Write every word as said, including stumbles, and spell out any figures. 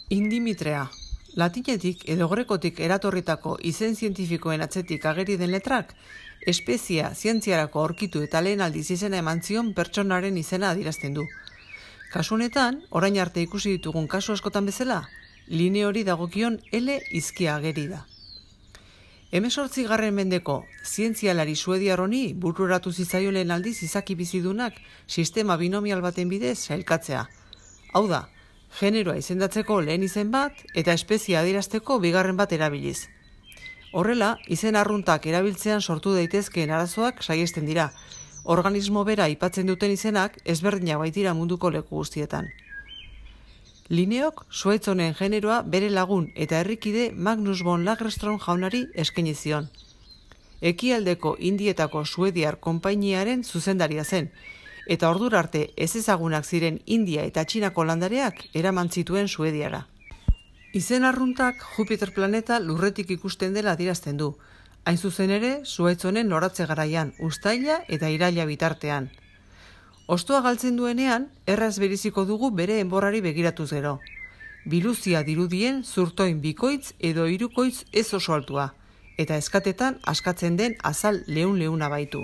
Indimitrea. Latinetik edo grekotik eratorritako izen zientifikoen atzetik ageri den letrak, espezia zientziarako aurkitu eta lehen aldiz izena eman zion pertsonaren izena adierazten du. Kasu honetan, orain arte ikusi ditugun kasu askotan bezala, line hori dagokion L izkia ageri da. Hemezortzigarren mendeko zientzialari suediar honi bururatu zitzaion lehen aldiz izaki bizidunak sistema binomial baten bidez sailkatzea. Hau da, generoa izendatzeko lehen izen bat eta espezia adierazteko bigarren bat erabiliz. Horrela, izen arruntak erabiltzean sortu daitezkeen arazoak saihesten dira. Organismo bera aipatzen duten izenak ezberdinak baitira munduko leku guztietan. Lineok zuhaitz honen generoa bere lagun eta herrikide Magnus von Lagerström jaunari eskaini zion. Ekialdeko Indietako suediar konpainiaren zuzendaria zen, eta ordura arte ezezagunak ziren India eta Txinako landareak eraman zituen Suediara. Izen arruntak Jupiter planeta lurretik ikusten dela adierazten du, hain zuzen ere zuhaitz honen noratze garaian, uztaila eta iraila bitartean. Hostoa galtzen duenean, erraz beriziko dugu bere enborrari begiratuz gero. Biluzia dirudien zurtoin bikoitz edo hirukoitz ez oso altua, eta eskatetan askatzen den azal leun-leuna baitu.